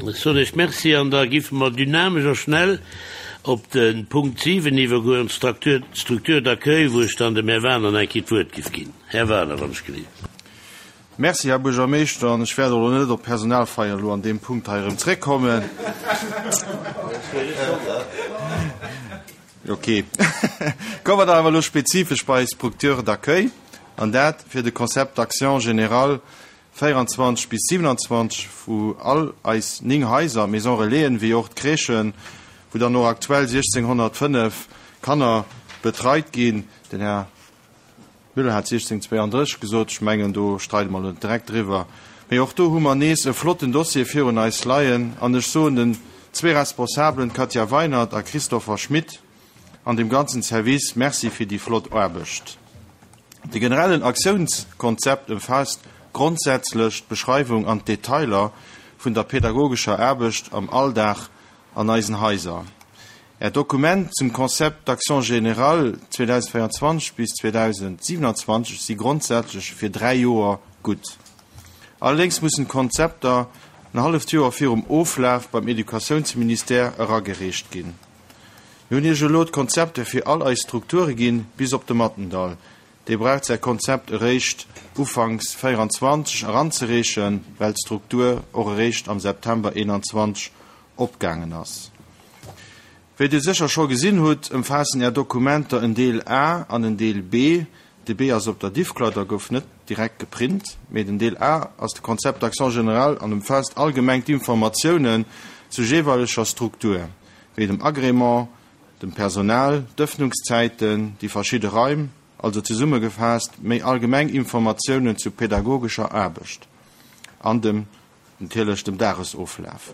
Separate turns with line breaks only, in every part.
Ech soen Iech Merci an da giffe mer dynamesch a schnell op de Punkt 7 iwwergoen, d'Structure d'accueil, wou ech dann dem Här Wagener nach eng Kéier d'Wuert giff ginn. Här Wagener, wann ech gelift.
Merci, Här Buergermeeschter. An ech wäert och elo net op d'Personalfeier elo an deem Punkt hei erëm zréckkommen. Ok. Komme mer dann awer elo spezifesch bei Structure d'accueil, an dat fir de Concept d'action général 24 bis 27, wou all eis 9 Haiser, Maisons Relaisen, wéi och d'Crèchen, wou dann och aktuell 1.605 Kanner betreit ginn. Den Här Müller hat 1632 gesot, ech mengen do streide mer elo net direkt driwwer, mee och do hu mer nees e flotten Dossier virun eis leien an ech soen den zwee Responsabelen, Katja Weinert a Christopher Schmit, an dem ganzen Service Merci fir déi flott Aarbecht. De generellen Aktiounskonzept ëmfaasst grondsätzlech d'Beschreiwung an d'Detailer vun der pädagogescher Aarbecht am Alldag an eisen Haiser. Är Dokument zum Concept d'action générale 2024 bis 2027 si grondsätzlech fir 3 Joer gutt. Allerdéngs mussen d'Konzepter en halleft Joer virum Oflaf beim Educatiounsministère eragereecht ginn. Mir hunn Iech elo d'Konzepter fir all eis Strukture ginn, bis op de Mattendall. Dee braucht säi Konzept eréischt ufanks 24 eranzereechen, well d'Struktur och eréischt am September 21 opgaangen ass. Wéi Dir sécher scho gesinn hutt, ëmfaassen Är Dokumenter en Deel A an en Deel B. De B ass op der Diffcloud a gouf net direkt geprint, mee den Deel A ass de Concept d'action générale an ëmfaasst allgemeng d'Informatiounen zur jeeweileger Struktur, wéi dem Agrément, dem Personal, d'Ëffnungszäiten, déi verschidde Raim, also zesummegefaasst méi allgemeng Informatiounen zur pädagogescher Aarbecht an dem natierlech dem Dagesoflaf.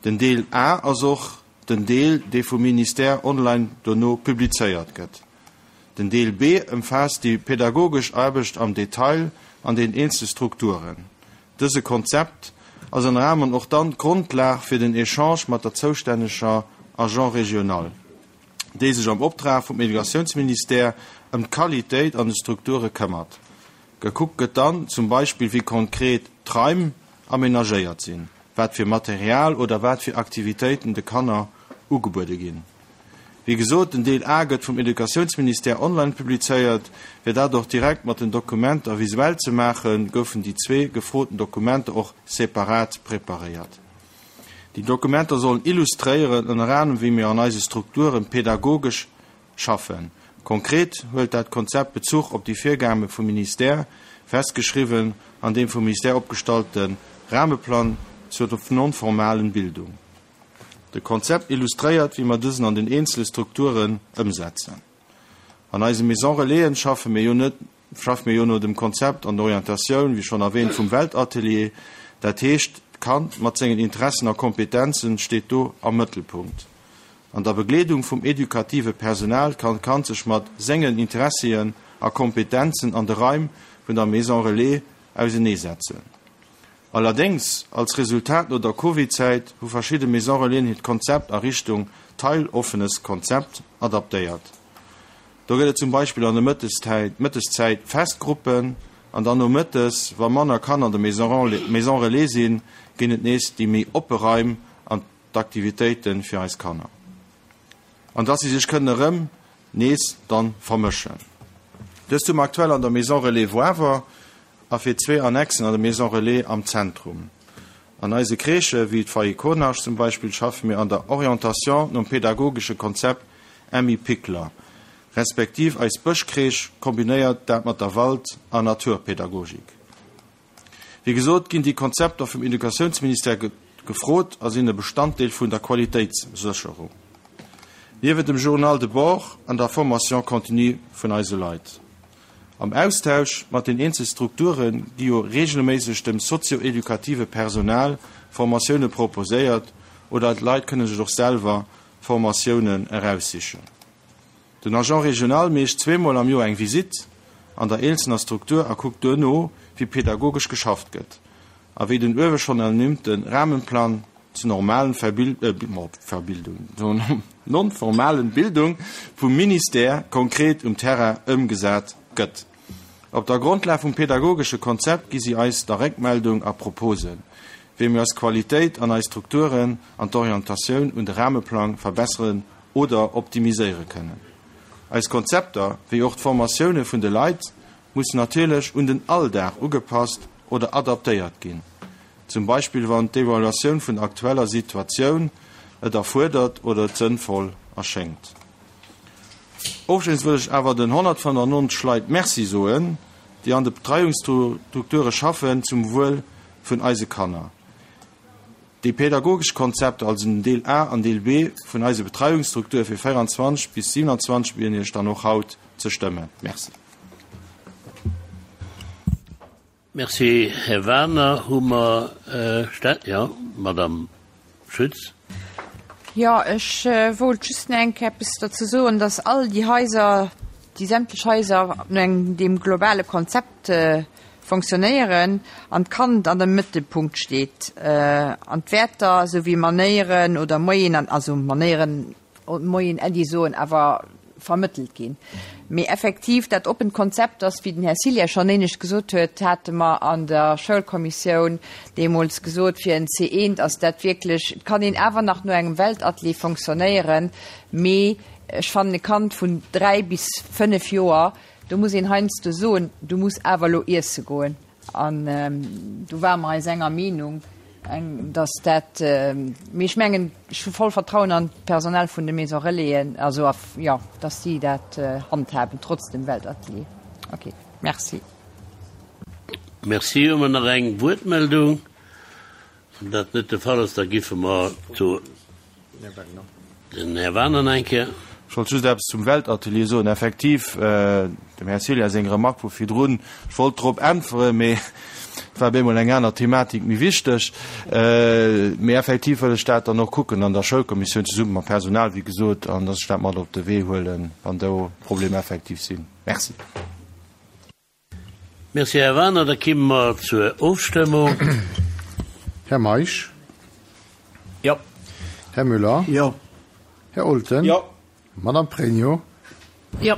Den Deel A ass och den Deel, dee vum Ministère online dono publizéiert gëtt. Den Deel B ëmfaasst déi pädagogesch Aarbecht am Detail an den eenzele Strukturen. Dëse Konzept ass ënner anerem och dann d'Grondlag fir den Echange mat der zoustänneger Agent régional, déi sech am Optrag vum Educatiounsministère ëm d'Qualitéit an de Strukture këmmert. Gekuckt gëtt dann zum Beispill, wéi konkret d'Raim amenagéiert sinn, wat fir Material oder wat fir Aktivitéiten de Kanner ugebuede ginn. Wéi gesot, den Deel A gëtt vum Educatiounsministère online publizéiert. Fir dat och direkt mat den Dokumenter visuell ze maachen, goufen déi zwee gefroten Dokumenter och separat preparéiert. Déi Dokumenter sollen illustréieren, ënner anerem wéi mir an eise Strukturen pedagogesch schaffen. Konkret huelt dat Konzept Bezuch op déi Virgabe vum Ministère, festgeschriwwen an deem vum Ministère opgestallte Rahmeplan zur non-formalen Bildung. De Konzept illustréiert, wéi mer dësen an den eenzele Strukturen ëmsetzen. An eise Maison Relaisen schaffe mir jo net, schaffe mir jo no dem Konzept an der Orientatioun, wéi schonn erwähnt, vum Weltatelier. Dat heescht, d'Kand mat sengen Interessen a Kompetenzen steet do am Mëttelpunkt. An der Begleedung vum edukative Personal kann d'Kand sech mat sengen Interessien a Kompetenzen an de Raim vun der Maison Relais auseneesetzen. Allerdéngs, als Resultat no der Covid-Zäit hu verschidde Maison Relaisen hiert Konzept a Richtung teiloffenes Konzept adaptéiert. Do gëtt et zum Beispill an der Mëtteszäit fest Gruppen an dann nomëttes, wa manner Kanner an der Maison Relais sinn, ginn et nees déi méi oppe Raim an d'Aktivitéite fir eis Kanner. An dass si sech kënnen erëm nees dann vermëschen. Dëst hu mer aktuell an der Maison Relais Woawer a fir zwee Annexen an der Maison Relais am Zentrum. An eise Crèchë wéi d'Foyer Konasch zum Beispill schaffe mir an der Orientation nom pedagogesche Konzept Emmi Pikler, respektiv eis Bëschcrèche kombinéiert dat mat der Wald a Naturpädagogik. Wéi gesot ginn déi Konzepter vum Educatiounsministère gefrot a sinn e Bestanddeel vun der Qualitéitssécherung, niewent dem Journal de bord an der Formation continue vun eise Leit. Am Austausch mat den eenzel Strukture gi jo reegelméisseg dem sozio-edukative Personal Formatioune proposéiert oder d'Leit kënne sech och selwer Formatiounen eraussichen. Den Agent régional meescht zweemol am Joer eng Visitt an der eenzelner Struktur a kuckt duerno, wéi pedagogesch geschafft gëtt a wéi den uewe schonn ernimmte Rahmenplan zur normalen Verbildung, zur non-formalen Bildung vum Ministère konkret um Terrain ëmgesat gëtt. Op der Grondlag vum pedagogesche Konzept gi si eis da Réckmeldung a Proposen. Wéi mir eis Qualitéit an eis Strukturen an d'Orientatioun un de Rahmeplang verbesseren oder optimiséiere kënnen. Eis Konzepter, wéi och d'Formatioune vun de Leit, mussen natierlech un den Alldag ugepasst oder adaptéiert ginn, zum Beispill wann d'Evaluatioun vun der aktueller Situatioun et erfuerdert oder et sënnvoll erschéngt. Ofschléissend wëll ech awer den 195 Leit Merci soen, déi an de Betreiungsstrukture schaffen, zum Wuel vun eise Kanner. Déi pädagogesch Konzepter, also den Deel A an Deel B vun eise Betreiungsstruktur fir 24 bis 27 bieden Iech dann och haut ze stëmmen. Merci.
Merci, Här Wagener. Hu mer Stä-, jo, Madame Schütz.
Jo, ech wollt just nach eng Kéier eppes dozou soen, dass all déi Haiser, déi sämtlech Haiser no engem, deem globale Konzept fonctionnéieren an d'Kand an dem Mëttelpunkt steet an d'Wäerter esou wéi Manéieren oder Moyenen, also Manéieren, Moien Äddi soen, awer vermëttelt ginn. Mee effektiv, dat oppent Konzept ass, wéi den Här Cilier schonn éinescht gesot huet, hate mer an der Schoulkommissioun deemools gesot, fir en C1 ass dat wierklech, et kann een awer nach no engem Weltatelier fonctionnéieren, mee ech fannen e Kand vun 3 bis 5 Joer, do muss een heiansdo soen, du muss awer elo iesse goen. An do ware mer eis enger Meenung, dass dat, mee ech mengen, ech hu voll Vertrauen an d'Personal vun de Maison Relaisen, also a, jo, dass si dat handhaben, trotz dem Weltatelier. Okay, merci.
Merci. Hu mer nach eng Wuertmeldung? Wann dat net de Fall ass, da giffe mer zu den Här Wagener nach eng Kéier.
Ech wollt just eppes zum Weltatelier soen. Effektiv, dem Här Ceglia seng Remark vu virdrun, ech wollt drop äntweren, mee et war op eemol eng aner Thematik méi wichteg. Mee effektiv wëll ech dat dann och kucken an der Schoulkommissioun zesumme mam Personal, wéi gesot, an dass ech dat mat op de Wee huelen, wann do Problemer effektiv sinn. Merci.
Merci, Här Wagener. Da kimme mer zur Ofstëmmung.
Här Meisch?
Jo.
Här Müller?
Jo.
Här Olten?
Jo.
Madame Pregno?
Jo.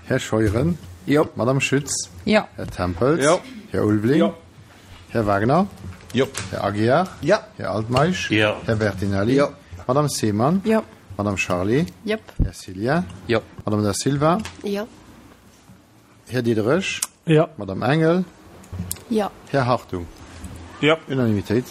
Här Scheuren?
Jo.
Madame Schütz?
Jo.
Här Tempels?
Jo.
Här Ulveling?
Jo.
Här Wagner?
Jo.
Här Aguiar?
Jo.
Här Altmeisch?
Jo.
Här Bertinelli?
Jo.
Madame Seemann?
Jo.
Madame Charlé?
Jop.
Här Cillien?
Jo.
Madame Da Silva?
Jo.
Här Diderich?
Jo.
Madame Engel?
Jo.
Här Hartung?
Jo.
Unanimitéit.